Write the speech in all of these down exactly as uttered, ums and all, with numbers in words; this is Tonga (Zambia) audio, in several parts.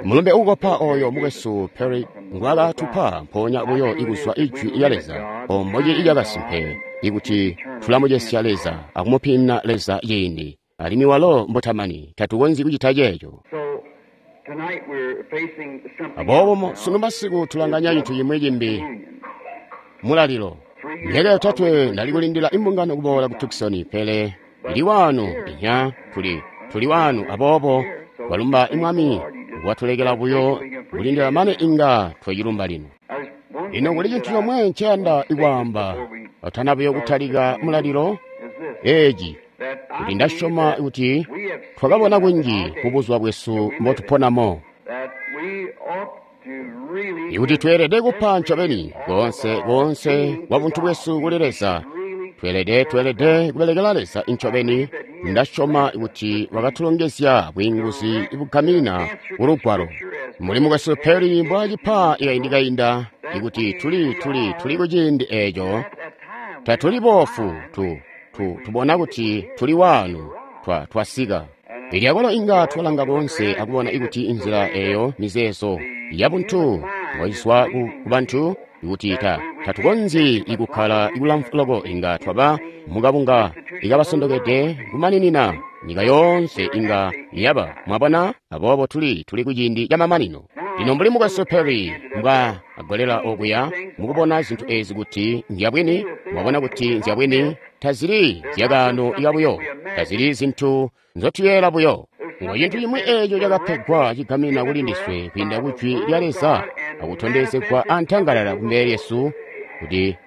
Mulumbe uukopa oyo mukwesu Perry ngwaakatupa mpoonya buyo ikuzwa Ijwi lya Leza, omboci ilyakasimpe, ikuti tulamucesya Leza akumupimina Leza ciindi, alimwi walo mbutamani, tatukonzyi kucita ceeco. Aboobo sunu masiku tulanganya cintu cimwi cimbi, mulalilo. Myaka yotatwe ndali kulindila imbungano kuboola ku Tucson, pele ili wanu inya tuli tuli wanu, aboobo twalumba Mwami watulekela buyo kulindila mane inga twacilumba lino. Lino kuli cintu comwe nceyanda ikwaamba atana buyo kutalika mulalilo eeci, kuti ndasyoma kuti twakabona kunji mubuzuba bwesu mbotuponamo, ikuti tweelede kupa ncobeni koonse koonse kwa buntu bwesu kuli Leza. Tweelede tweelede kubelekela Leza ncobeni. Ndasyoma kuti wakatulongezya bwiinguzi bugamina kulugwalo. Muli mukwesu Perry mbwaacipa ikaindi kainda, ikuti tuli tuli tuli kuciindi eeco, tatuli boofu, tu tu tubona kuti tuli wanu, twa twasika. Ilyakolo inga twalanga koonse akubona ikuti inzila eyo mizeezo yabuntu ngoiswa ku bantu, ikuti ta tatukonzyi ikukkala ikulamfu loko, inga twaba mukabunga ikabasondokede kumaninina nyika yoonse inga yaba. Mwabona? Aboobo tuli tuli kuciindi camamanino. Lino mbuli mukwesu Perry mbwa agolela okuya mukubona zintu ezi kuti nzyabwini, mwabona kuti nzyabwini, tazili zyakaano ikabuyo, tazili zintu nzotuyeela buyo. Ngo cintu cimwi eeco cakapegwa cigamina kuli ndiswe kwiinda ku Jwi lya Leza akutondezegwa antangalala kumbele lyesu kuti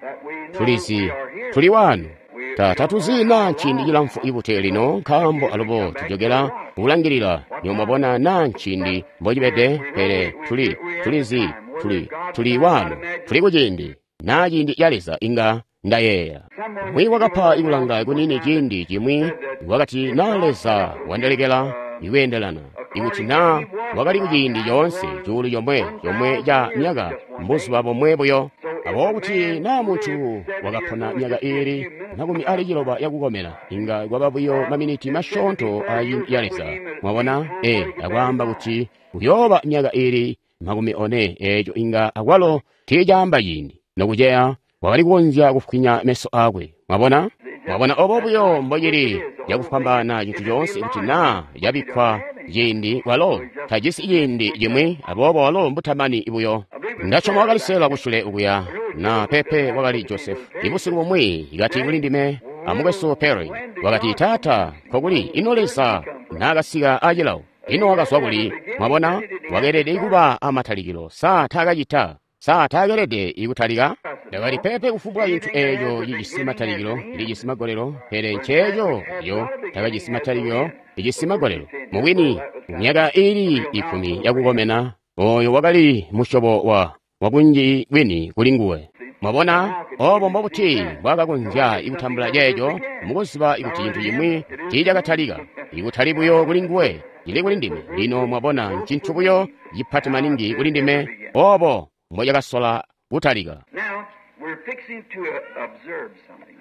tulizi tuli wanu. Ta tatuzi naa nciindi cilamfu ibute lino, nkaambo alubo tujokela kulangilila nyomwabona naa nciindi mbocibede, pele tuli tulizi tuli tuli wanu, tuli kuciindi naa ciindi ca Leza inga ndayeeya. Umwi wakapa ikulanga kunini ciindi cimwi wakati naa Leza wandelekela ikweendelana, ikuti naa wakali kuciindi coonse cuulu comwe comwe ca myaka mbuzuba bomwe buyo. Aboobo kuti naa muntu wakapona myaka iili makumi ali ciloba yakukomena, inga kwaba buyo maminiti masyoonto aciindi ya Leza. Mwabona? E, akwaamba kuti kuyooba myaka iili makumi one, eeco inga akwalo tiicaamba ciindi nokuceya wakali kukonzya kufwinya meso aakwe. Mwabona? Mwabona obo buyo mbocili cakufwambaana cintu coonse kuti naa cabikkwa ciindi, walo tajisi ciindi cimwi, aboobo walo mbutamani buyo. Ndasyoma wakalisela kusule ukuya na pepe wakali Joseph. Ibusiku bumwi ikati kuli ndime amukwesu Perry, wakati, Taata, nkokuli ino Leza naakasika acilawo, ino wakazwa kuli? Mwabona, wakeelede kuba amatalikilo. Sa taakacita? Sa taakelede ikutalika? Ndakati, pepe, kufumbwa cintu eeco cijisi matalikilo lijisi magolelo, pele nceeco yo takajisi matalikilo lijisi magolelo. Mubwini, myaka iili ikumi yakukomena, oyo wakali musyobo wa wakunji bwini kuli nguwe. Mwabona, obo mbobuti mbwaakakonzya ikutambula ceeco mukuziba ikuti cintu cimwi tiicakatalika, ikutali buyo kuli nguwe, cili kuli ndime. Lino mwabona, ncintu buyo cipati maningi kuli ndime, obo mbocakasola kutalika.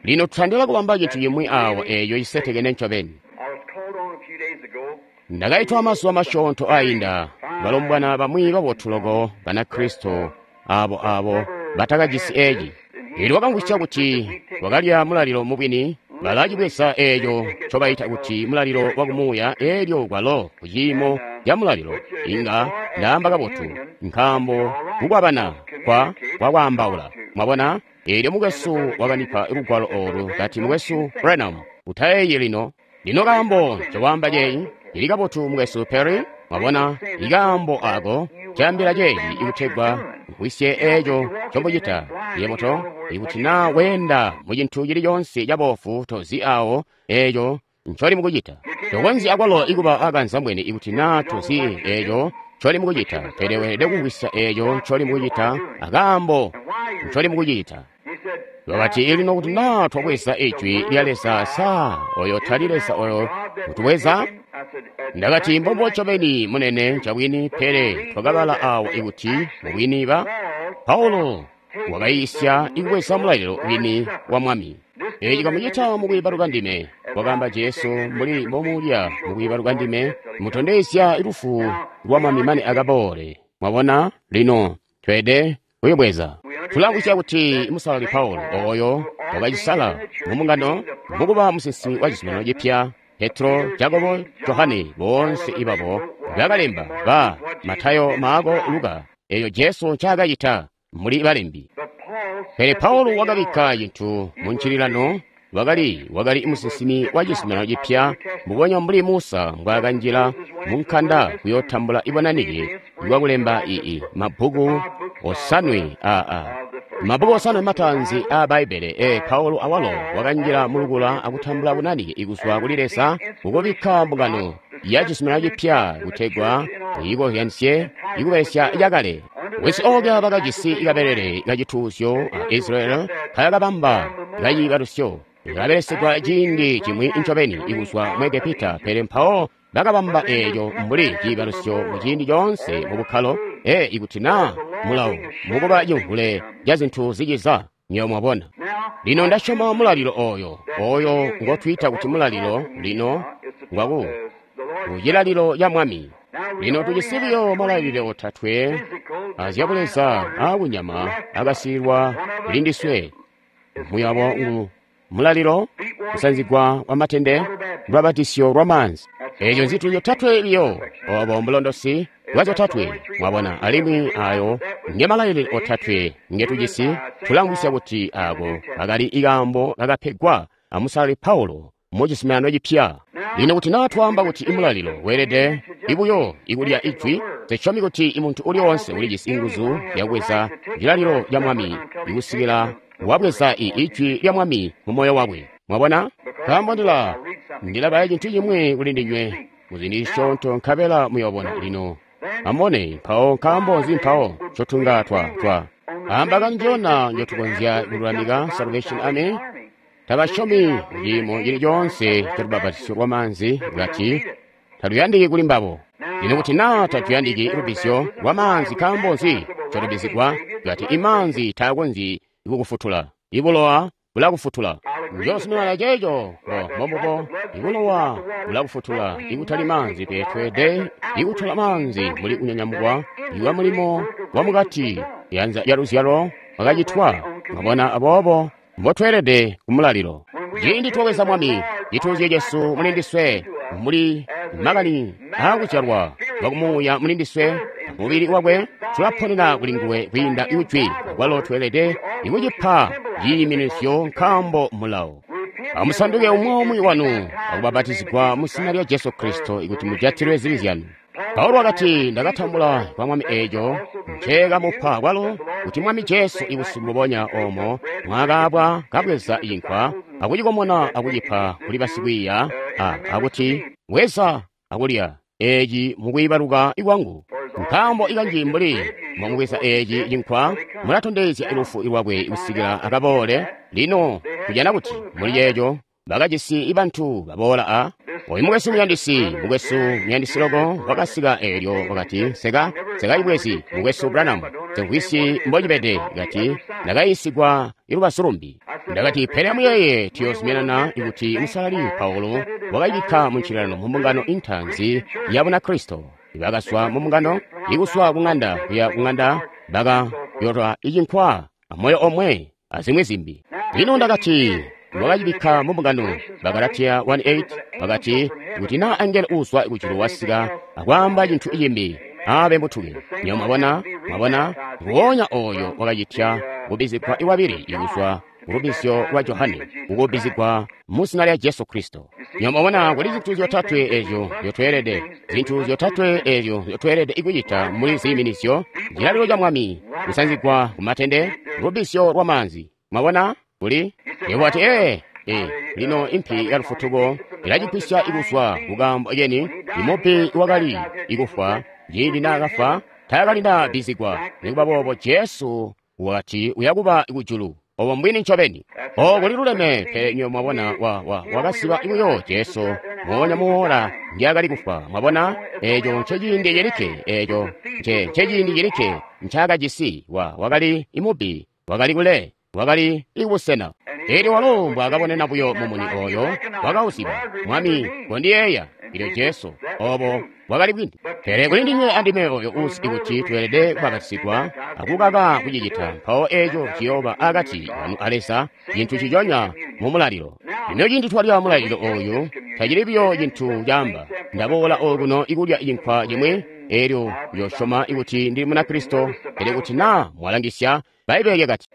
Lino tutandila kubamba cintu cimwi awo eeco cisetekene ncobeni. Ndakaitwa mazuba masyoonto ainda, balombwana bamwi babotu loko Banakristo abo abo batakajisi eeci. Eelyo wakamvwisya kuti wakalya mulalilo mubwini, balacibweza eeco ncobaita kuti mulalilo wakumuuya, eelyo kwalo kuciimo ca mulalilo inga ndaamba kabotu, nkaambo kukwabana kwa kwakwaambaula. Mwabona? Eelyo mukwesu wakandipa lugwalo oolu kati, Mukwesu Branham, utayeeyi lino. Lino kaambo ncokwaamba ceeyi cili kabotu, mukwesu Perry. Mwabona, ikaambo ako caambila ceeci ikutegwa mvwisye eeco ncomucita. Yebo to, ikuti naa weenda mucintu cili coonse caboofu, tozi awo eeco ncoli mukucita. Tokonzyi akwalo ikuba akanzambwene ikuti naa tozi eeco ncoli mukucita, pele weelede kumvwisya eeco ncoli mukucita akaambo ncoli mukucita. Wakati, lino kuti naa twabweza Ijwi lya Leza, sa oyo tali Leza oyo utubweza? Ndakati, mbombo ncobeni munene ncabwini, pele twakabala awo ikuti mubwini ba Paulo wakayiisya ikubweza mulalilo wini wa Mwami. Eeci kamucita mukwiibaluka ndime. wakaamba Jesu, mbuli mbomulya mukwiibaluka ndime, mutondezya lufu lwa Mwami mane akaboole. Mwabona? Lino tweede kuyibweza. Tulamvwisya kuti Musalali Paulo oyo wakacisala mu mbungano mukuba musinsimi wa Cizuminano Cipya, Petro, Jakobo, Johane, boonse ibabo bakalemba ba Matayo, Maako, Luka, eyo Jesu ncaakacita muli balembi. Pele Paulo wakabikka cintu mu ncililano, wakali wakali musinsimi wa Cizuminano Cipya, mbubonya mbuli Musa mbwaakanjila mu nkanda kuyootambula ibonanike lwakulemba ii mabbuku osanwe aa mabbuku osanwe mataanzi aa Bbaibbele. E Paulo awalo wakanjila mulukula akutambula bunanike ikuzwa kuli Leza kukubikka mbungano ya Cizuminano Cipya kutegwa iyikozyanisye ikubelesya cakale. Wisi ookya bakajisi kabelele kacituuzyo a Israeli kayakabamba kaciibalusyo kabelesegwa ciindi cimwi ncobeni ikuzwa mu Egepita, pele mpawo bakabamba eeco mbuli ciibalusyo mu ciindi coonse mu bukkalo. E ikuti naa mulawo mukuba cimvule ca zintu ziciza, nywebo mwabona. Lino ndasyoma mulalilo oyo oyo ngotwiita kuti mulalilo lino ngwaku kucilalilo ca Mwami. Lino tujisi buyo malalile otatwe azyabuleza aakunyama akasiilwa kulindiswe. Muyabo ngu mulalilo, kusanzigwa kwa matende, lubabatisyo lwa maanzi. Eezo nzintu zyotatwe biyo, obo mbulondosi bwa zyotatwe, mwabona. Alimwi ayo nge malayilile otatwe ngetujisi. Tulamvwisya kuti ako kakali ikaambo kakapegwa a Musalali Paulo mu Cizuminano Cipya. Lino kuti naa twaamba kuti imulalilo weelede ibuyo ikulya ijwi, nsisyomi kuti imuntu uli oonse ulijisi nguzu zyakubweza cilalilo ca Mwami ikusikila wabweza i ijwi lya Mwami mu moyo wakwe. Mwabona? Nkaambo ndila ndilabala cintu cimwi kuli ndinywe muziindi zisyoonto nkabela muyoobona. Lino amubone mpawo nkaambo nzi mpawo ncotunga twa twa amba kanjona njotukonzya kululamika Salvation Army. Tabasyomi muciimo cili coonse ca lubabatisyo lwa maanzi, kati tatuyandiki kuli mbabo. Lino kuti naa tatuyandiki lubbizyo lwa maanzi, nkaambo nzi ncotubizigwa? Kati imaanzi taakonzyi kukufutula, ibulowa bulakufutula. Njozuminana ceeco mbombubo, ibulowa bulakufutula, ikutali maanzi. Pele tweede ikutola maanzi mbuli kunyanyamukwa iwa mulimo wa mukati yanza ya luzyalo wakacitwa. Mwabona? Aboobo mbotweelede kumulalilo. Ciindi twabweza Mwami cituuzyo cesu mulindiswe, muli makani aakuzyalwa lwakumuuya mulindiswe mubili wakwe, tulaponena kuli nguwe kwiinda ijwi. Akwalo tweelede ikucipa ciiminisyo nkaambo mulawo. Amusanduke umwi umwi wanu akubabatizigwa mu zina lya Jesu Kristo ikuti mujatilwe zibi zyanu. Paulo wakati, ndakatambula kwa Mwami eeco nceekamupa kwalo, kuti Mwami Jesu ibusiku mbubonya oomo mwakaabwa kabweza cinkwa akucikomona akucipa kuli basikwiiya, akuti, bweza akulya eeci mukwiibaluka kwangu. Nkaambo ikanji mbuli mwamubweza eeci cinkwa, mulatondezya lufu lwakwe kusikila akaboole. Lino tujana kuti muli ceeco bakajisi bantu baboola a oyu mukwesu muyandisi, mukwesu muyandisi loko wakasika eelyo wakati, seka sekaibwezi mukwesu Branham, semvwisyi mbocibede. Kati ndakayiisigwa ilubazu lumbi. Ndakati, pele amuyeeye, tuyoozuminana ikuti Musalali Paulo wakayibikka mu ncililano mu mbungano intaanzi ya Bunakristo. Bakazwa mu mbungano, ikuswa kuŋanda kuya kuŋanda, bakayotwa icinkwa amoyo omwe azimwi zimbi. Lino ndakati wakacibikka mu mbungano. Bagalatiya one eight bakati, kuti naa angelo uuzwa kujulu wasika akwaamba cintu cimbi, abe mutuke. Nywebo mwabona? Mwabona? Nguwonya oyo wakacitya kubbizigwa iwabili ikuzwa kulubbizyo lwa Johane, kukubbizigwa mu zina lya Jesu Kristo. Nywebo mwabona, kuli zintu zyotatwe ezyo nzyotweelede, zintu zintu ezyo nzyotweelede kucita muli ziiminizyo: cilalilo ca Mwami, kusanzigwa kumatende, lubbizyo lwa maanzi. Mwabona? Kuli yebo ati, ee, ee, lino impi ya lufutuko ilacigwisya ikuzwa kukaambo keni. Imubi wakali ikufwa ciindi naakafwa taakalinda bbizigwa. Nikuba boobo Jesu wakati uyakuba kujulu. Obo mbwini ncobeni. O kuli luleme. Pele nywebo mwabona, wa, wa, wakasiba buyo Jesu moonya muwola ndyakali kufwa. Mwabona, eeco nceciindi celikke, eeco nce nceciindi celikke ncaakajisi. Wa wakali imubi, wakali kule, wakali ikubusena. Elyo walo mbwaakabonena buyo mumuni oyo, wakauziba. Mwami, kondiyeeya. Elyo Jesu, obo bwakali bwini. Pele kuli ndinywe andime oyo uzi kuti tweelede kubapatizigwa akukaka kucicita, mpawo eco ciyooba akati kanu a Leza, cintu ciconya mu mulalilo. Lino cindi twalya mulalilo oyu, tacili buyo cintu caamba, ndaboola okuno ikulya cinkwa cimwi, elyo uyosyoma kuti ndili Munakristo. Pele kuti naa mwalangisya, Bbaibbele lyakati,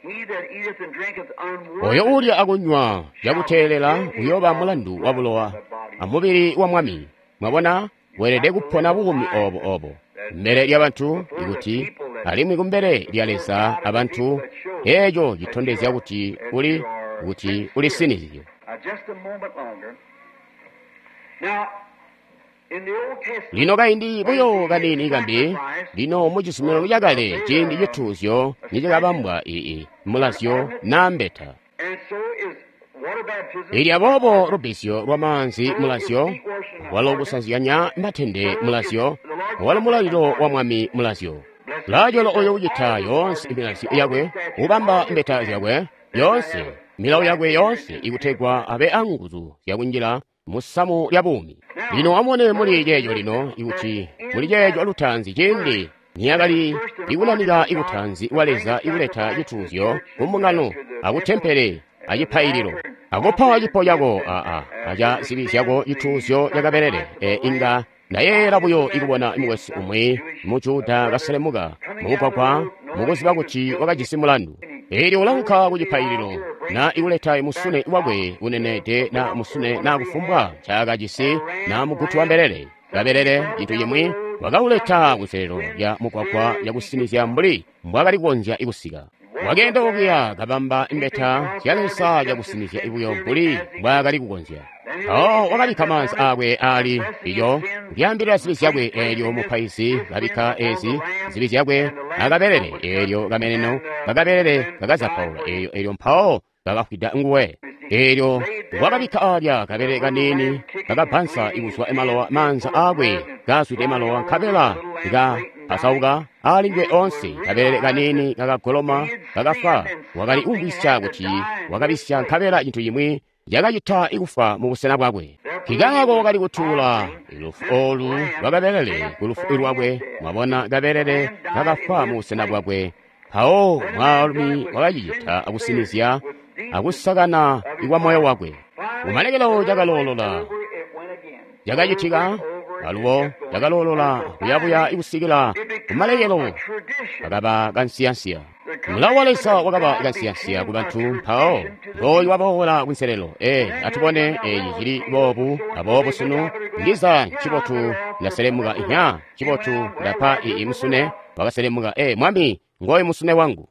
oyo uulya akunywa cakuteelela uyooba mulandu wa bulowa amubili wa Mwami. Mwabona, weelede kupona buumi obo obo kumbele lya bantu ikuti, alimwi kumbele lya Leza abantu, eco citondezya kuti uli kuti ulisinizye. Lino kaindi buyo kaniini kambi, lino mu cizuminano cakale ciindi cituuzyo nicakabambwa ii mulazyo na mbeta. Ili aboobo lubbizyo lwa maanzi mulazyo, walo kusanzyanya matende mulazyo, walo mulalilo wa Mwami mulazyo. Lajolo oyo ucita yoonse milazyo yakwe, ubamba mbeta zyakwe yoonse, milawo yakwe yoonse, ikutegwa abe anguzu zyakunjila musamu lya buumi. Lino amubone muli ceeco lino, ikuti muli ceeco lutaanzi ciindi niyakali ikunanika ikutanzi wa Leza ikuleta cituuzyo kumbungano akutempele acipaililo, akupa cipo cako aa aca zibi zyako cituuzyo cakabelele. E inga ndayeeyela buyo ikubona mukwesu umwi mu Juda kaselemuka mumugwagwa mukuziba kuti wakajisi mulandu. Elyo ulaunka ku cipaililo na ikuleta musune wakwe unenede na musune na kufumbwa ncaakajisi na mugutu wa mbelele kabelele cintu cimwi, wakauleta kunselelo lya mugwagwa yakusinizya mbuli mbwaakali kukonzya ikusika. Wakeenda okuya kabamba imbeta zya Leza cakusinizya buyo mbuli mbwaakali kukonzya. Mpawo wakabikka maanzi aakwe aali iyo kulyaambilila zibi zyakwe. Eelyo mupaizi kabikka ezi zibi zyakwe akabelele, eelyo kameneno kakabelele kakazapaula eelyo eelyo mpawo kakafwida nguwe. Eelyo wakabikka alya kabelele kaniini kakabbansa ikuzwa malowa maanza aakwe kazwide malowa, nkabela kapasauka aali onse. Kabelele kaniini kakagoloma kakafa. Wakali kumvwisya kuti wakabisya, nkabela cintu cimwi cakacita ikufa mu busena bwakwe. Nkikaako wakali kutuula lufu olu lwakabelele ku lufu lwakwe. Mwabona, kabelele kakafwa mu busena bwakwe. Mpawo mwaalumi wakacicita akusinizya akusakana kwa moyo wakwe. Kumalekelo cakaloolola cakacitika, alubo cakaloolola kuyabuya ikusikila kumalekelo kakaba kansiyansiya. Mulawo wa Leza wakaba kansiyansiya ku bantu. Mpawo ngooyu waboola kunselelo. E atubone eeci cili boobu aboobo sunu. Ndiza ncibotu ndaselemuka inya, ncibotu ndapa ii musune wakaselemuka. E Mwami, ngooyu musune wangu.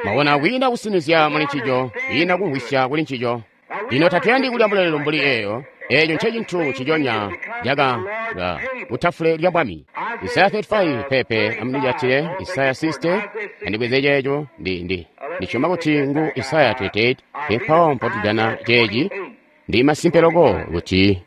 Mwabona, kwiina kusinizya muli ncico, kwiina kumvwisya kuli ncico. Lino tatuyandi kulya mulalilo mbuli eyo. Eeco ncecintu ciconya caka kutafule lya Mwami. Isaya thirty-five pepe amunijatile Isaya sixty andibweze ceeco ndi ndi ndisyoma kuti ngu Isaya thirty-eight. Mpawo mpotujana ceeci ndi masimpe loko kuti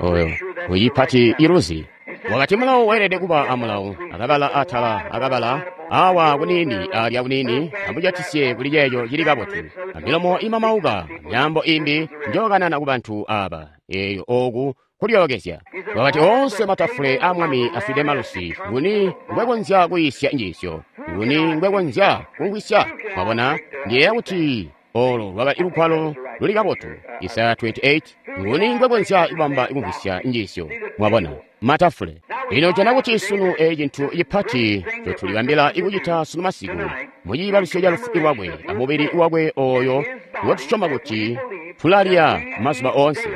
oyo uyipati iluzi. Wakati mulawo weelede kuba amulawo, akabala atala akabala awa kuniini alya kuniini, amujatisye kuli ceeco cili kabotu. Amilomo imamauka, myaambo imbi njokanana ku bantu aba. Eyo oku kulyookezya. Wakati oonse matafule a Mwami afwide malusi. Nguni ngwekonzya kuyiisya njiisyo? Nguni ngwekonzya kumvwisya? Mwabona, ndiyeeya kuti olo lwakali lugwalo luli kabotu. Isaya twenty-eight. Nguni ngwekonzya kubamba kumvwisya njiisyo? Mwabona, matafule. Lino jana kuti sunu eeci cintu cipati cotulibambila ikucita sunu masiku muciibalusyo ca lufu lwakwe amubili wakwe oyo ngotusyoma kuti tulalya mazuba oonse.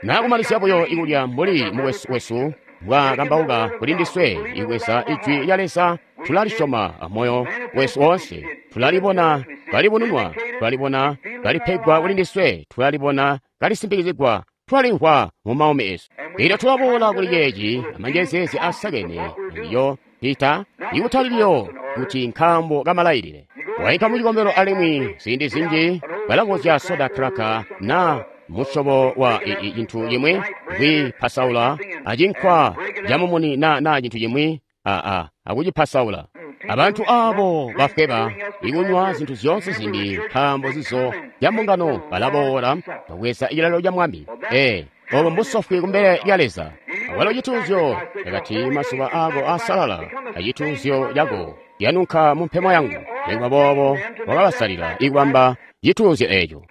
Naakumalizya buyo ikulya mbuli mukwesu wesu mbwaakambauka kuli ndiswe, ikweza ijwi lya Leza tulalisyoma amoyo wesu oonse. Tulalibona kalibununwa, tulalibona kalipegwa kuli ndiswe, tulalibona kalisimpikizigwa, tulalimvwa mu maumi esu. Elyo tulaboola kuli ceeci amanjezeezi asakene ndiyo pita ikutali biyo kuti nkaambo kamalailile. Waika mu cikombelo alimwi ziindi zinji balabozya soda kraka na musyobo wa cintu cimwi kwipasaula acinkwa camumuni na na cintu cimwi aa akucipasaula Abantu abo bafweba ikunywa zintu zyoonse zimbi nkaambo zizo zya mbungano balaboola babweza cilalilo ca Mwami. Ee, obo mbusofwi kumbele lya Leza. Awalo cituuzyo cakati mazuba ako asalala acituuzyo cako yanunka mu mpemo yangu. Nikuba boobo wakabasalila ikubamba cituuzyo eeco.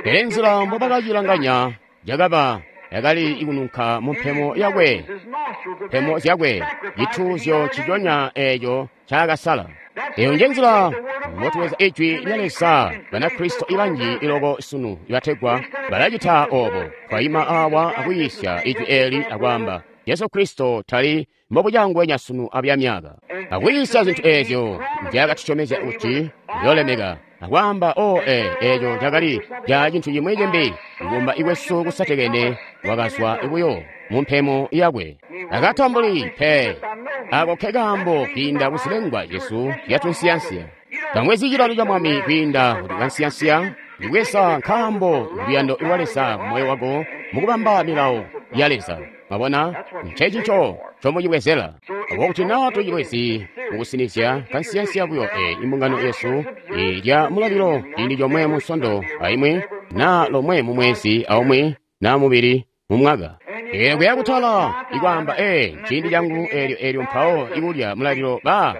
Pele nzila mbobakacilanganya cakaba yakali ikununka mu mpemo yakwe, mpemo zyakwe, cituuzyo ciconya eeco ncaakasala. Eyo nje nzila mbotubweza Ijwi lya Leza. Banakristo ibanji iloko sunu ibategwa balacita obo. Twaima awa akuyiisya Ijwi eli akwaamba Jesu Kristo tali mbobucangwenya sunu abyamyaka, akuyiisya zintu eezyo nzyaakatusyomezya kuti uyolemeka, akwaamba o e eeco cakali ca cintu cimwi cimbi. Ikumba ikwesu kusatekene wakazwa buyo mu mpemo yakwe, akatambuli pe. Ako ke kaambo kwiinda kuzilengwa zyesu zyatunsiyansiya. Tamwezi cilalilo ca Mwami kwiinda kuti kansiyansiya ndibweza nkaambo luyando lwa Leza moyo wako mukubamba milawo ya Leza. Mwabona, ncencico ncomucibwezela. Abo kuti naa tucibwezi mukusinizya kansiyansiya buyo e imbungano yesu ilya mulalilo ciindi comwe mu nsondo aimwi naa lomwe mu mwezi aumwi naa mubili mu mwaka. Eelyo kuya kutala ikwaamba ee ciindi cangu eelyo eelyo mpawo ikulya mulalilo ba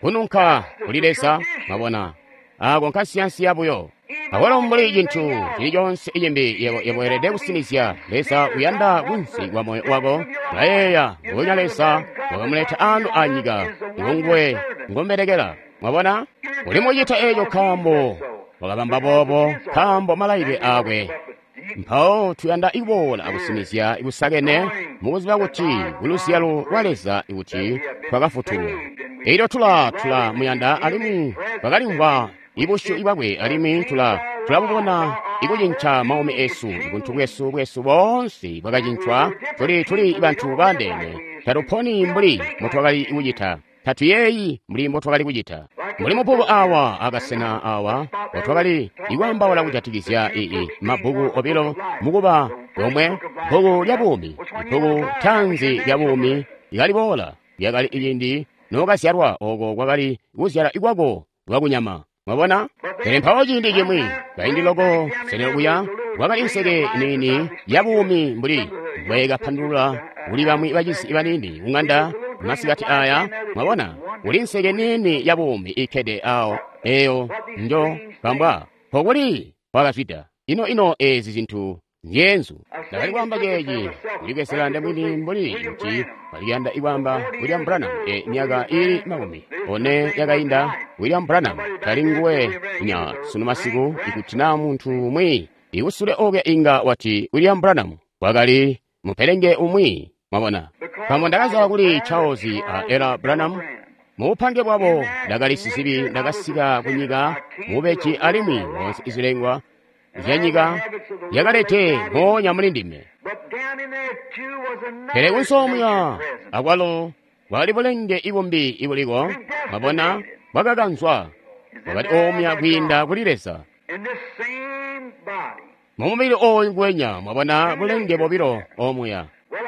kununka kuli Leza. Mwabona, ako nkansiyansiya buyo. Awalo mbuli cintu cili coonse icimbi, yebo yebo weelede kusinizya. Leza uyanda kunsi kwa moyo wako. Ulayeeya nguwenya Leza wakamuleta anu anyika, ngonguwe ngombelekela. Mwabona, uli mucita eeco nkaambo wakabamba boobo, nkaambo malailile akwe. Mpawo tuyanda iboola akusinizya ikusakene mukuziba kuti kuluzyalo lwa Leza kuti twakafutulwa. Elyo tula tula muyanda alimwi twakalimvwa ibusyu bwakwe alimwi tula tulabubona ikucinca maumi esu, buntu bwesu bwesu boonse bwakacincwa. Tuli tuli bantu bandeene, tatuponi mbuli mbotwakali kucita, tatuyeeyi mbuli mbotwakali kucita. Mbuli mubbuku awa akasena awa mbotwakali ikwaambaula kujatikizya ii mabbuku obilo mukuba lomwe, bbuku lya buumi, ibbuku taanzi lya buumi lyakaliboola lyakali ciindi nookazyalwa, oko kwakali kuzyala ikwako lwakunyama. Mwabona? Pele mpawo ciindi cimwi kaindi loko sene kuya kwakali nseke niini ya buumi mbuli mbwekapandulula kuli bamwi bacizi baniini kung'anda masikati aya. Mwabona, kuli nseke niini ya buumi ikkede awo eyo njo kambwa pokuli kwakazwida. Ino ino ezi zintu nyenzu. Ndakali kwaamba ceeci kulibwezela ndemwini mbuli kuti baliyanda ikwaamba William Branham e myaka ili makumi one yakainda. William Branham tali nguwe nya sunu masiku. Ikuti naa muntu umwi ikusule okuya inga wati William Branham wakali mupelenge umwi. Mwabona, nkaambo ndakazala kuli Charles a Ella Branham mubupange bwabo, ndakali sizibi, ndakasika kunyika mubeji alimwi moonse izilengwa zyanyika yakalete moonya muli ndime. Pele kunsoomuya akwalo bwakali bulenge ibumbi ibuliko. Mwabona, bwakakanzwa bwakali omuya kwiinda kuli Leza mumubili ooyu ngwenya. Mwabona, bulenge bobilo omuya.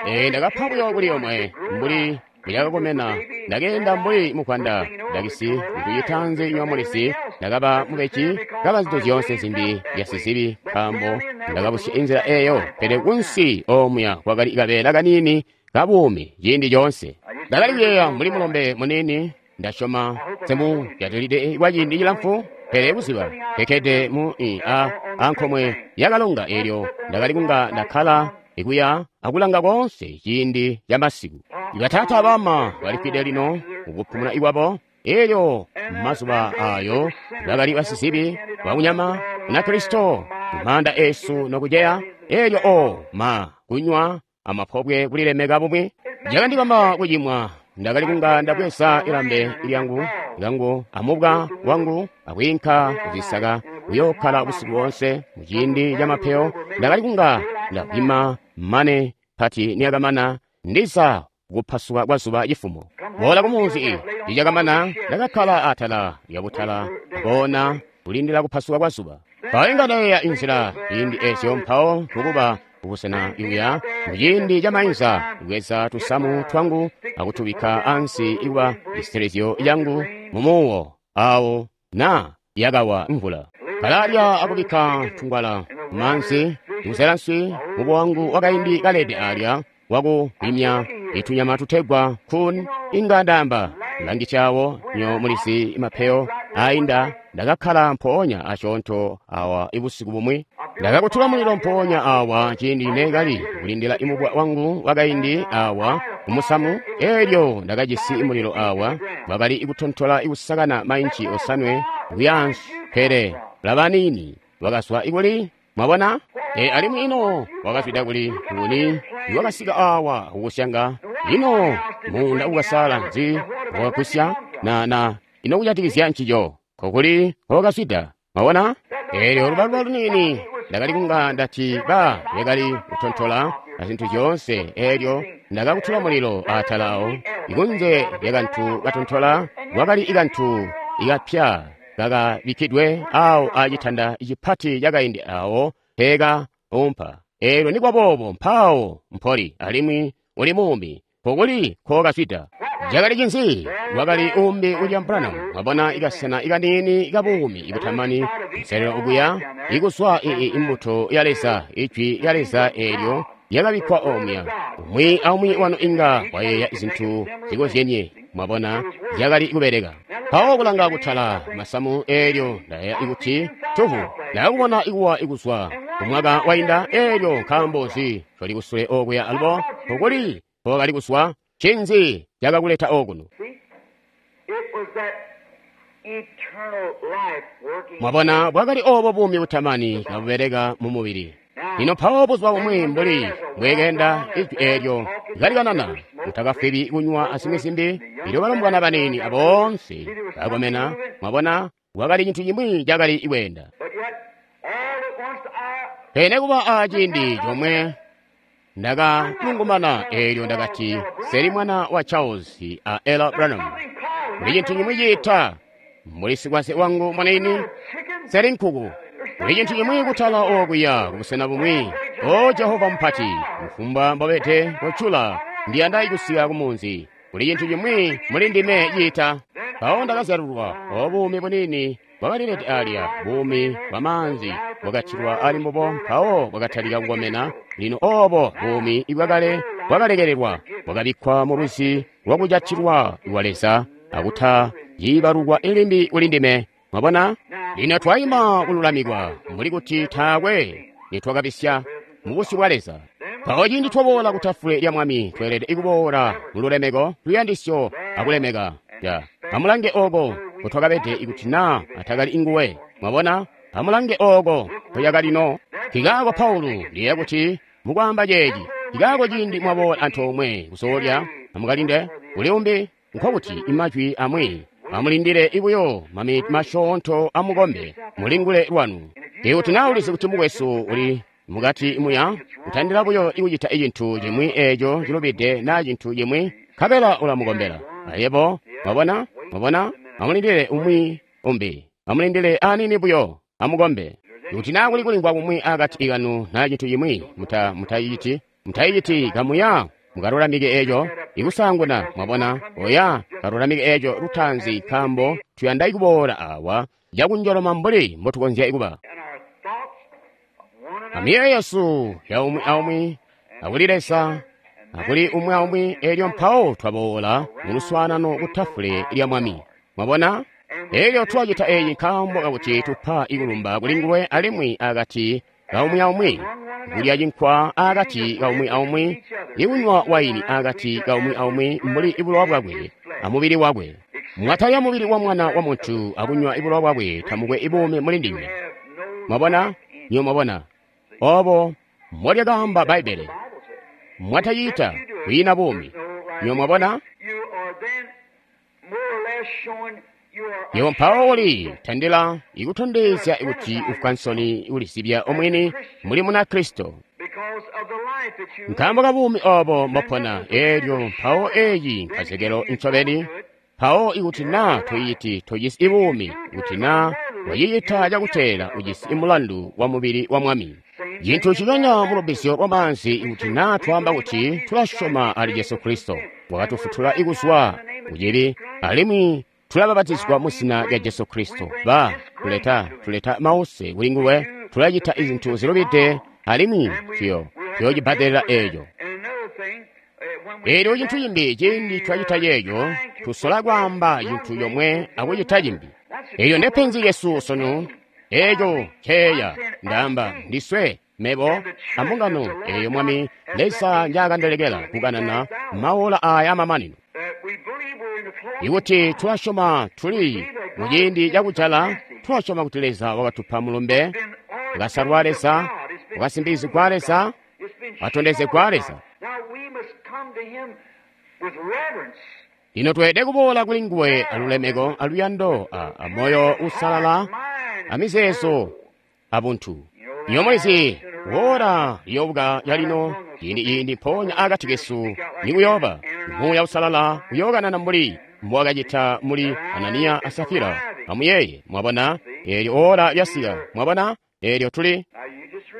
Ee, ndakapa buyo kuli omwe mbuli mbuyakakomena. Ndakeenda mbuli mukwanda ndakisi nkucitanzi nywa mulisi, ndakaba mubeji, kaba zintu zyoonse zimbi byasizibi nkaambo ndakabusya inzila eyo. Pele kunsi omuya kwakali kabeela kaniini kabuumi ciindi coonse. Ndakali kuyeeya mbuli mulombe muniini, ndasyoma semu jatilide kwa ciindi cilamfu, pele kuziba kekkede mu i a ankomwe yakalonga eelyo ndakali kunga ndakkala ikuya akulanga koonse ciindi ca masiku. Ibataata abama balifwide lino mukupumuna ikwabo. Eelyo mazuba ayo bakali basizibi bakunyama na Kristo maanda esu nokuceya. Eelyo o ma kunywa amapobwe kulilemeka bumwi cakandibamba kucimwa. Ndakali kunga ndabweza ilambe lyangu lyangu amubwa wangu akwiinka kuzisaka kuyokkala busiku boonse muciindi ca mapeyo. Ndakali kunga ndavwima mane pati niyakamana ndiza kupasuka kwa zuba cifumo. Boola kumunzi icakamana ndakakkala atala lyabutala koona kulindila kupasuka kwa zuba. Mpawo inga ndayeeya inzila ciindi eezyo mpawo kukuba kubusena ikuya muciindi camainza kubweza tusamu twangu akutubikka ansi ikuba cisitilizyo cangu mumuwo awo na yakawa mvula. Kalalya akubikka tungwala mumaanzi, kuzela nswi mubwa wangu wakaindi kalede alya wakukwimya itunyama tutegwa kun inga ndamba langicawo nyo mulisi mapeyo ainda. Ndakakkala mpoonya asyoonto awa ibusiku bumwi, ndakakutula mulilo mpoonya awa ciindi nekali kulindila imubwa wangu wakaindi awa kumusamu. Elyo ndakajisi mulilo awa wakali kutontola ikusakana mainci osanwe kuyaansi, pele labanini wakazwa ikuli. Mwabona? E, alimwi ino wakazwida kuli nguni iwakasika awa kukusyanga? Ino muunda ukasala nzi wakakwisya na na ino kujatikizya ncico kokuli wakazwida? Mwabona? Elyo lubaluba lunini ndakali kunga ndati ba lyakali kutontola na zintu zyoonse. Elyo ndakakutula mulilo atala awo ikunze lyakantu katontola wakali ikantu ikapya kakabikkidwe awo acitanda cipati cakaindi awo peeka umpa. Elyo nikwaboobo mpawo mpoli alimwi uli muumi kokuli kokazwida. Cakali cinzi? Wakali umbi William Branham. Mwabona ikasena ikaniini kabuumi ibutamani nselelo okuya ikuswa ii imbuto ya Leza, ijwi lya Leza eelyo lyakabikkwa omya. Umwi aumwi wanu inga wayeeya zintu zikozyenye. Mwabona zyakali kubeleka. Mpawo kulanga kutala masamu eelyo ndayeeya kuti tuvu ndakakubona ikuwa ikuzwa kumwaka wainda. Eelyo nkaambo nzi toli kusule okuya alubo kokuli kokali kuswa? Ncinzi cakakuleta okuno? Mwabona bwakali obo buumi butamani kabubeleka mu mubili. Lino mpawo buzuba bumwi mbuli mbwekenda ijwi eelyo kalikanana utakafwibi kunywa azimwi zimbi. Elyo balombwana baniini aboonse bakomena. Mwabona wakali cintu cimwi cakali kweenda. Pele kuba aciindi comwe ndakalungumana. Eelyo ndakati seli mwana wa Charles a Ella Branham. Kuli cintu cimwi ciita mbuli sikwaze wangu mwanini seli nkuku. Kuli cintu cimwi kutala okuya kubusena bumwi. O Jehova mupati, kufumbwa mbobete kocula ndiyanda ikusika kumunzi. Kuli cintu cimwi muli ndime ciita. Mpawo ndakazyalulwa obuumi bunini bwakalilete alya, buumi bwa maanzi bwakatilwa ali mbubo, mpawo bwakatalika kukomena. Lino obo buumi ibwakale bwakalekelelwa bwakabikkwa mu lwizi lwakujatilwa lwa Leza akuta yibalukwa ilimbi kuli ndime. Mwabona? Lino twayima kululamikwa mbuli kuti taakwe nitwakabisya mu busyu bwa Leza. Mpawo ciindi twaboola ku tafule lya Mwami, tweelede kuboola mu lulemeko, luyandisyo akulemeka. Ya, amulange oko kutwakabede ikuti naa atakali inguwe. Mwabona? Amulange oko koyakalino. Kikaako Paulo ndiyeeya kuti mukwaamba ceeci, kikaako ciindi mwaboola antoomwe kuzoolya, amukalinde kuli umbi, nkokuti imajwi amwi amulindile ibuyo maminiti masyoonto amukombe mulingule lwanu. Ikuti naa ulizi kuti mukwesu uli mukati muya kutandila buyo ikucita icintu cimwi eeco cilubide naa cintu cimwi, nkabela ulamukombela ayebo. Mwabona? Mwabona? Amulindile umwi umbi, amulindile anini buyo, amukombe. Ikuti naa kuli kulingwa kumwi akati kanu naa cintu cimwi, muta mutayiciti mutayiciti kamuya mukalulamike eeco ikusaanguna. Mwabona? Oya kalulamike eeco lutaanzi, nkaambo tuyanda ikuboola awa cakunjoloma mbuli mbotukonzya kuba. Amiyeeyo yesu ya umwi aumwi akuli Leza akuli umwi aumwi, eelyo mpawo twaboola mu luswaanano ku tafule lya Mwami. Mwabona? Eelyo twacita eeci nkaambo kakuti tupa ikulumba kuli nguwe alimwi akati ka umwi aumwi, kulya cinkwa akati ka umwi aumwi, ikunywa waini akati ka umwi aumwi mbuli ibulowa bwakwe amubili wakwe. Mwatalya mubili wa Mwana wa Muntu akunywa ibulowa bwakwe, tamukwe ibuumi muli ndinywe. Mwabona? Nyo mwabona obo mbolyakaamba Bbaibbele. Mwatacita kwiina buumi. Nyo mwabona? Yebo mpawo uli tandila ikutondezya kuti ufwa nsoni ulisibya omwini muli muna Kristo nkaambo ka buumi obo mbopona. Eelyo mpawo eeci nkazekelo ncobeni. Mpawo ikuti naa toyiti tojisi ibuumi, kuti naa wacicita cakuteela ujisi mulandu wa mubili wa Mwami. Cintu ciconya mu lubbizyo lwa maanzi, kuti naa twaamba kuti tulasyoma ali Jesu Kristo, wakatufutula kuzwa kucibi, alimwi tulabapatizigwa mu zina lya Jesu Kristo. Ba tuleta tuleta mause kuli nguwe, tulacita izintu zilubide, alimwi tuyo tuyocibbadelela eeco. Eelyo cintu cimbi, ciindi twacita ceeco, tusola kwaamba cintu comwe akucita cimbi. Eeyo ndepenzi lyesu sunu. Eeco nceeya ndaamba ndiswe, mebo ambungano eeyo Mwami Leza njaakandilekela kukanana maola aaya amamanino. Ikuti tulasyoma tuli muciindi cakujala, tulasyoma kuti Leza wakatupa mulumbe, wakasalwa Leza, wakasimbizigwa Leza, watondezegwa Leza. Lino tweelede kuboola kuli nguwe alulemeko, aluyando, a moyo uusalala, amizeezo, abuntu. Iyo mulizi wora liyobuka yalino ciindi ciindi mpoonya akati kesu nikuyooba Muuya Uusalala uyookanana mbuli mbowakacita muli Ananiya a Safira. Amuyeeye, mwabona, eelyo ora lyasika, mwabona, eelyo tuli.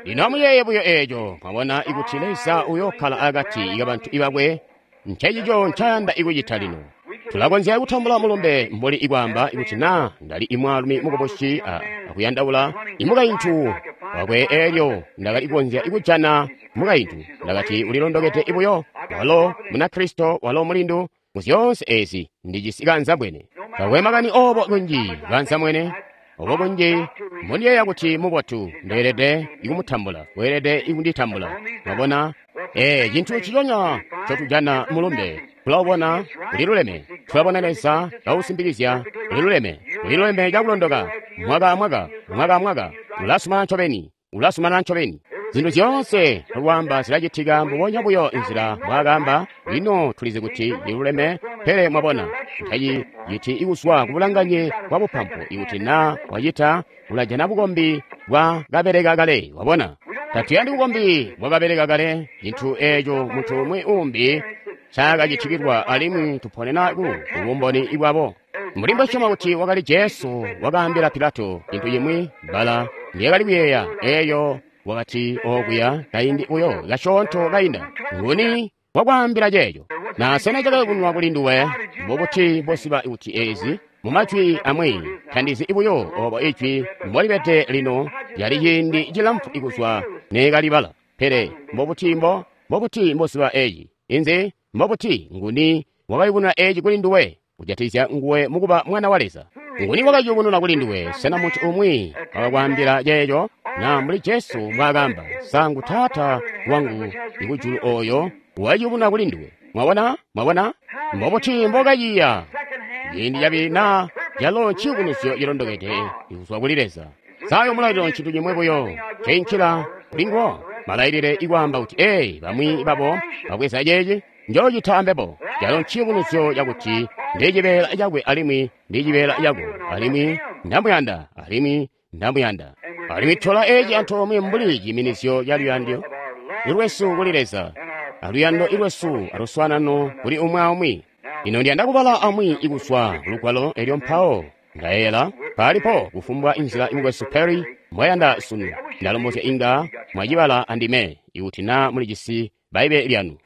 Lino amuyeeye buyo eeco, mwabona, ikuti Leza uyookkala akati kabantu bakwe, ncencico ncayanda ikucita lino. Tulakonzya kutambula mulumbe mbuli ikwaamba ikuti naa ndali imwaalumi mukubusi akuyandaula imukaintu wakwe, eelyo ndakali kukonzya ikujana mukaintu. Ndakati ulilondokede ibuyo, walo Munakristo, walo mulindu, mu zyoonse eezi ndijisi kanzambwene. Takwe makani obo kunji kanzambwene, obo kunji mbondiyeeya kuti mubotu, ndeelede ikumutambula, weelede ikunditambula. Mwabona? Ee, cintu ciconya ncotujana mulumbe, tulawubona uliluleme, tulabona Leza kausimbikizya uliluleme, uliluleme cakulondoka, mwaka amwaka, mwaka amwaka, ulasumana ncobeni, ulasumana ncobeni. Zintu zyoonse lwaamba zilacitika mbubonya buyo nzila mbwaakaamba. Lino tulizi kuti liluleme, pele mwabona, taciciti ikuzwa kubulanganye bwa bupampu. Ikuti naa wacita, ulajana bukombi bwa kabeleka kale. Wabona, tatuyandi bukombi bwa kabeleka kale, cintu eeco muntu umwi uumbi ncaakacitikilwa, alimwi tuponena ku bumboni bwabo. Mbuli mbwasyoma kuti wakali Jesu wakaambila Pilato cintu cimwi, bbala ndyakali kuyeeya eeyo wakati okuya kaindi buyo kasyoonto kainda. Nguni wakwaambila ceeco? Na sena cakayubununwa kuli nduwe? Mbubuti mboziba kuti eezi? Mumajwi amwi, tandizi buyo obo ijwi mbolibede lino, yali ciindi cilamfu ikuzwa neekalibala. Pele mbubuti mbo mbubuti mboziba eeci? Inzi? Mbubuti nguni wakayubununa eeci kuli nduwe? Kujatikizya nguwe mukuba mwana wa Leza. Nguni wakayubununa kuli nduwe? Sena muntu umwi wakakwaambila ceeco? Na mbuli Jesu mbwaakaamba, sangu Taata wangu ikujulu oyo wayubununa kuli nduwe. Mwabona? Mwabona? Mbubuti mbokayiya? Ciindi cabili naa calo nciyubunuzyo cilondokede ikuzwa kuli Leza. Sayo mulaililo ncintu cimwe buyo ceinkila kuli nguwo. Malailile ikwaamba kuti, ee, bamwi babo babweza ceeci, njoocita ambebo. Calo nciyubunuzyo cakuti ndi cibeela cakwe alimwi ndi cibeela cako, alimwi ndamuyanda, alimwi ndamuyanda. Alimwi tola eeci antoomwe mbuli ciminizyo ca luyando lwesu kuli Leza, aluyando lwesu aluswaanano kuli umwi aumwi. Lino ndiyanda kubala amwi ikuzwa lugwalo elyo mpawo ndayeeyela palipo kufumbwa inzila imukwesu Perry mbwayanda sunu. Ndalombozya inga mwacibala andime ikuti naa mulijisi Bbaibele lyanu.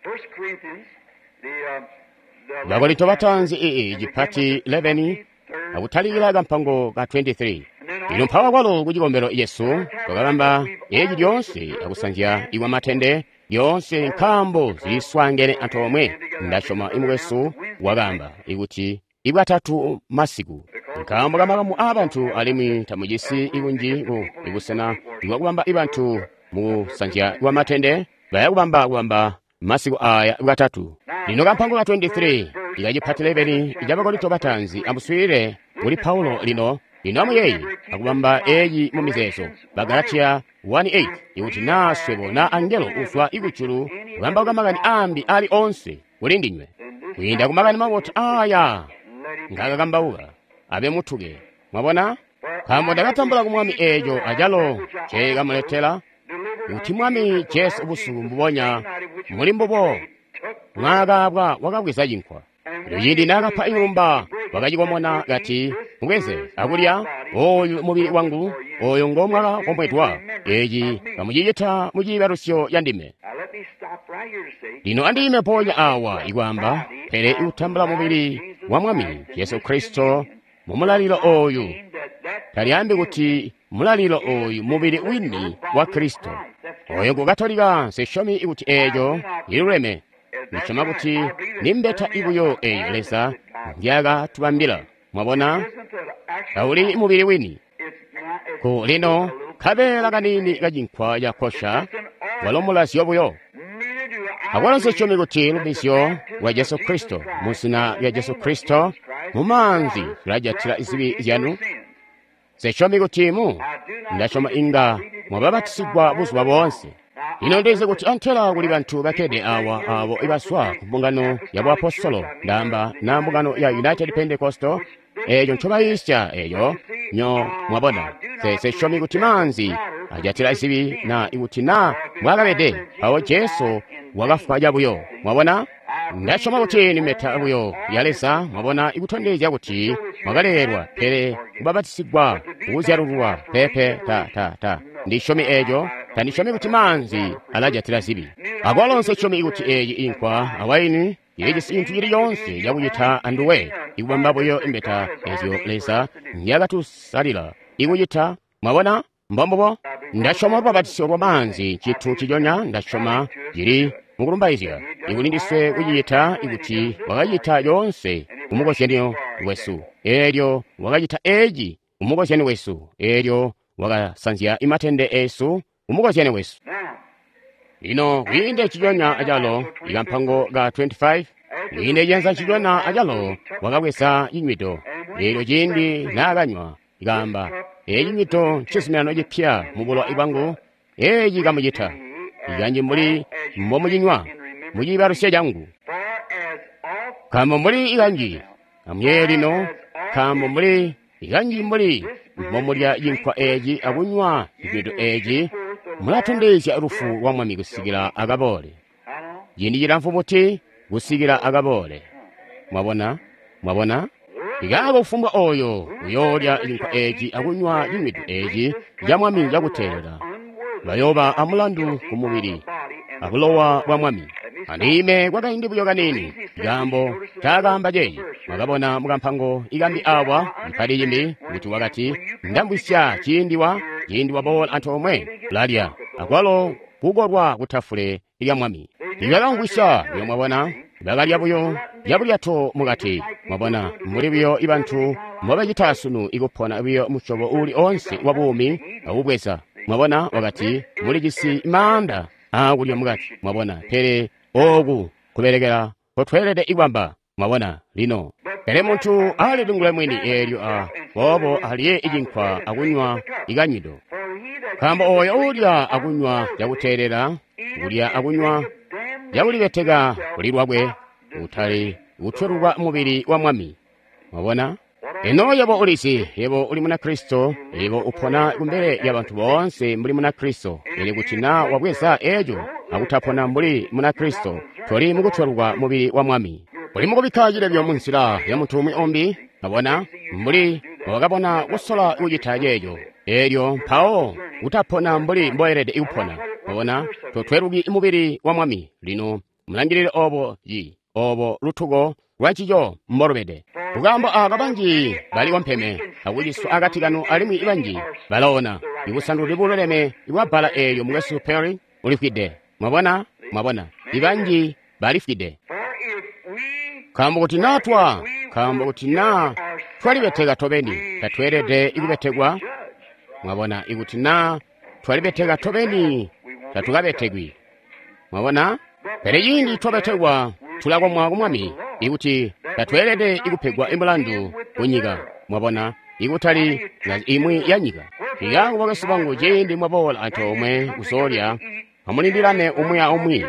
Bakorinto bataanzi ii cipati eleven akutalikila kampango ka twenty-three. Lino mpawa kwalo ku cikombelo Yesu twakabamba eeci lyoonse akusanzya ikwa matende lyoonse nkaambo ziliswaangene antoomwe. Ndasyoma imukwesu wakaamba ikuti ibwatatu masiku nkaambo kamakamu aabantu alimwi tamujisi ikunji ku ibusena ibwakubamba ibantu mukusanzya kwa matende bayakubamba kubamba masiku aya bwatatu. Lino kampango ka twenty-three ikacipati eleven ca Bakorinto bataanzi amuswiilile kuli Paulo lino. Lino amuyeeye akubamba eeci mu mizeezo. Bagalatia one eight ikuti naa swebo naa angelo uzwa ikujulu kukambauka makani aambi ali onse kuli ndinywe kwiinda ku makani mabotu aaya ngakakambauka abe mutuke. Mwabona? Nkaambo ndakatambula ku Mwami eeco acalo nceekamuletela, kuti Mwami Jesu busuku mbubonya muli mbubo mwaakaabwa wakabweza cinkwa. Lino ciindi naakapa ikulumba wakacikomona kati, mubweze akulya, Oyu mubili wangu, oyo ngo mwakakomwedwa. Eci kamucicita mu ciibalusyo ca ndime. Lino andime mpoonya awa ikwaamba, pele ikutambula mubili wa Mwami Jesu Kristo mu mulalilo oyu, talyaambi kuti mulalilo oyu mubili wini wa Kristo. Oyo ngu Katolika, nsisyomi kuti eeco ciluleme. Ndisyoma kuti ni mbeta ibuyo eyo Leza ndyakatubambila. Mwabona, tauli mubili wini. Ku lino kabeela kaniini kacinkwa ca kosha walo mulazyo buyo. Akwalo nsisyomi kuti lubbizyo lwa Jesu Kristo mu zina lya Jesu Kristo mu maanzi lulajatila zibi zyanu. Nsisyomi kuti mu ndasyoma inga mwababatisigwa buzuba boonse. Lino ndizi kuti antela kuli bantu bakkede awa abo ibazwa ku mbungano ya buapostolo, ndaamba na mbungano ya United Pentecostal, eeco ncobayiisya eeyo nyo mwabona. Nsisyomi kuti maanzi ajatila zibi na ikuti na mbwaakabede, mpawo Jesu wakafwa cabuyo. Mwabona? Ndasyoma kuti ni mbeta buyo ya Leza, mwabona, ikutondezya kuti mwakalelwa, pele kubabatisigwa kukuzyalululwa pepe ta ta ta. Ndisyomi eeco, tandisyomi kuti maanzi alajatila zibi. Akwalo nsisyomi kuti eeci inkwa awaini ilijisi cintu cili coonse cakucita anduwe, ikubamba buyo imbeta ezyo Leza nzyakatusalila ikucita. Mwabona? Mbombubo. Ndasyoma lubabatisyo lwa maanzi ncintu ciconya, ndasyoma cili mukulumbaizya ikuli ndiswe kucicita ikuti wakacita coonse kumukozyanyo wesu. Eelyo wakacita eeci kumukozyanyo wesu. Eelyo wakasanzya imatende eesu kumukozyanyo wesu. Lino kwiinde ciconya acalo ikampango ka twenty-five, kwiinde ciyanza ciconya acalo wakabweza cinywido. Eelyo ciindi naakanywa ikaamba, eeci cinywido ncizuminano cipya mu bulowa bwangu, eeci kamucita ikanji mbuli mbomucinywa mu ciibalusyo cangu. Nkaambo mbuli ikanji amuyeeye lino, nkaambo mbuli ikanji mbuli mbomulya cinkwa eeci akunywa cinywido eeci, mulatondezya lufu lwa Mwami kusikila akaboole. Ciindi cilamfu buti kusikila akaboole? Mwabona? Mwabona? Ikaako kufumbwa oyo uyoolya cinkwa eeci akunywa cinywido eeci ca Mwami cakuteelela, bayooba amulandu ku mubili abulowa bwa Mwami. Andime kwakaindi buyo kaniini, ikaambo ncaakaamba ceeci. Mwakabona mukampango ikambi awa mpali cimbi kuti wakati, ndamvwisya ciindi wa ciindi waboola antoomwe lalya akwalo kukolwa kutafule lya Mwami. Ibakamvwisya buyo, mwabona, bakalya buyo cabulyato mukati. Mwabona, mbuli buyo ibantu mbobacita sunu ikupona buyo musyobo uuli oonse wa buumi akubweza. Mwabona, wakati mulijisi maanda aakulya mukati. Mwabona, pele ooku kubelekela nkotweelede ikwamba. Mwabona, lino pele muntu alilingule mwini eelyo a boobo alye icinkwa akunywa ikanywido. Nkaambo oyo uulya akunywa cakuteelela, kulya akunywa cakulibeteka kuli lwakwe, utali kutwelulwa mubili wa Mwami. Mwabona? Eno yebo ulizi, yebo uli Munakristo, yebo upona kumbele ya bantu boonse mbuli Munakristo. Pele kuti na wabweza eeco akutapona mbuli Munakristo, toli mukutwelulwa mubili wa Mwami. Uli mukubikka cilebyo munzila ya muntu umwi umbi. Mwabona, mbuli wakabona kusola kucita ceeco, eelyo mpawo utapona mbuli mboelede kupona. Mwabona, totweluki mubili wa Mwami. Lino mulangilile obo yi obo lutuko lwancico mbolubede. Kukaambo aaka banji bali kompeme akuciswa akati kanu, alimwi banji balaona. Ibusanduluzi bululeme bwa bbala eelyo mukwesu Perry ulifwide. Mwabona? Mwabona, ibanji balifwide. Nkaambo kuti naa twa nkaambo kuti naa twalibeteka tobeni, tatweelede ikubetekwa. Mwabona, ikuti naa twalibeteka tobeni, tatukabetekwi. Mwabona? Pele ciindi twabetekwa, tulakomwa ku Mwami, ikuti tatweelede ikupegwa imulandu kunyika. Mwabona, ikutali imwi ya nyika. Ikaako bakwesu bangu, ciindi mwaboola antoomwe kuzoolya, amulindilane umwi aumwi.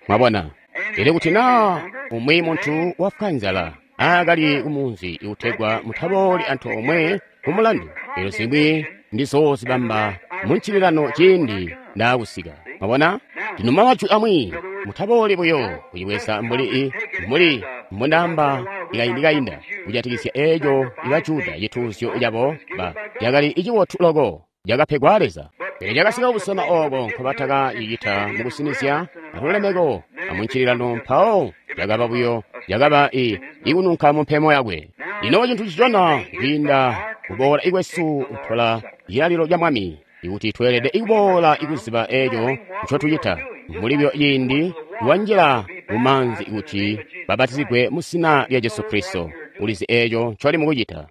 Mwabona? Pele kuti naa umwi muntu wafwa nzala aakali kumunzi ikutegwa mutabooli antoomwe kumulandu, eelyo zimwi ndizoozibamba muncililano ciindi ndaakusika. Mwabona? Lino majwi amwi mutabooli buyo kucibweza mbuli i mbuli mbondaamba ikaindi kainda kujatikizya eeco iba Juda cituuzyo cabo ba cakali icibotu loko cakapegwa Leza. Pele cakasika kubusena ooko nkobatakacicita mukusinizya alulemeko amuncililano, mpawo cakaba buyo cakaba i ikununka mumpemo yakwe. Lino cintu cicona kwiinda kuboola ikwesu kutola cilalilo ca Mwami, ikuti tweelede ikuboola ikuziba eeco ncotucita mbuli buyo ciindi wanjila mumaanzi kuti babatizigwe mu zina lya Jesu Kristo. Ulizi eeco ncoli mukucita.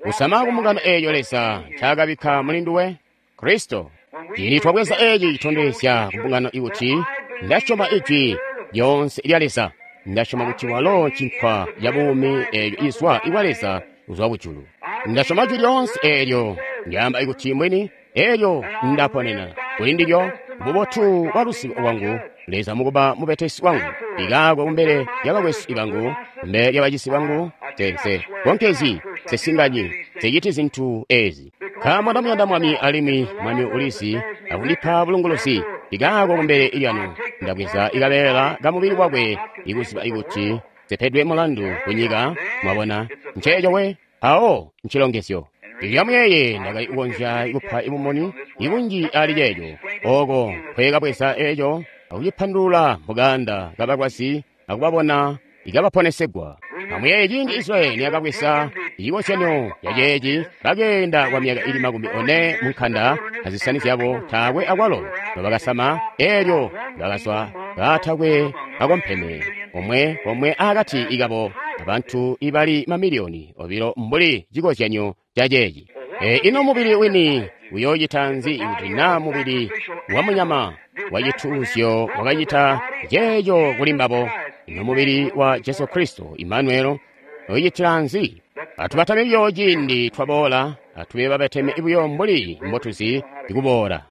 Kusama kumbungano eeyo Leza ncaakabikka muli nduwe, Kristo. Ciindi twabweza eeci citondezya kumbungano ikuti ndasyoma ijwi lyoonse lya Leza. Ndasyoma kuti walo cinkwa ca buumi eeco izwa ikwa Leza kuzwa kujulu. Ndasyoma jwi lyoonse eelyo ndyaamba ikuti mbwini, eelyo ndaponena kuli ndilyo bubotu bwa luzibo lwangu, Leza mukuba mubetesi wangu, ikaakwe kumbele lya bakwesu bangu, kumbele lya bacisi bangu, nse nse konkezi, nsesinganyi, nseciti zintu ezi. Nkaambo ndamuyanda Mwami alimwi Mwami ulizi akundipa bulunguluzi, ikaakwe kumbele lyanu ndabweza ikabeela kamubili wakwe ikuziba ikuti nsepedwe mulandu kunyika. Mwabona nceeco we awo ncilongezyo. Lyamuyeeye ndakali kukonzya kupa ibumoni ibunji ali ceeco, ooko nkweekabweza eeco akucipandulula mukanda kabalwazi akubabona ikabaponesegwa. Amuyeeye ciindi Israyeli niyakabweza cikozyanyo ca ceeci, bakeenda kwa myaka ili makumi one munkanda azisani zyabo taakwe akwalo nobakasama, eelyo bakazwa kaatakwe akompeme omwe komwe akati ikabo abantu ibali mamiliyoni obilo mbuli cikozyanyo ca ceeci. E, ino mubili wini uyoocita nzi kuti naa mubili wa munyama wa cituuzyo wakacita ceeco kuli mbabo? Ino mubili wa Jesu Kristo Imanuelo uyocitila nzi? Atubatame buyo ciindi twaboola, atube babateme buyo mbuli mbotuzi kuboola.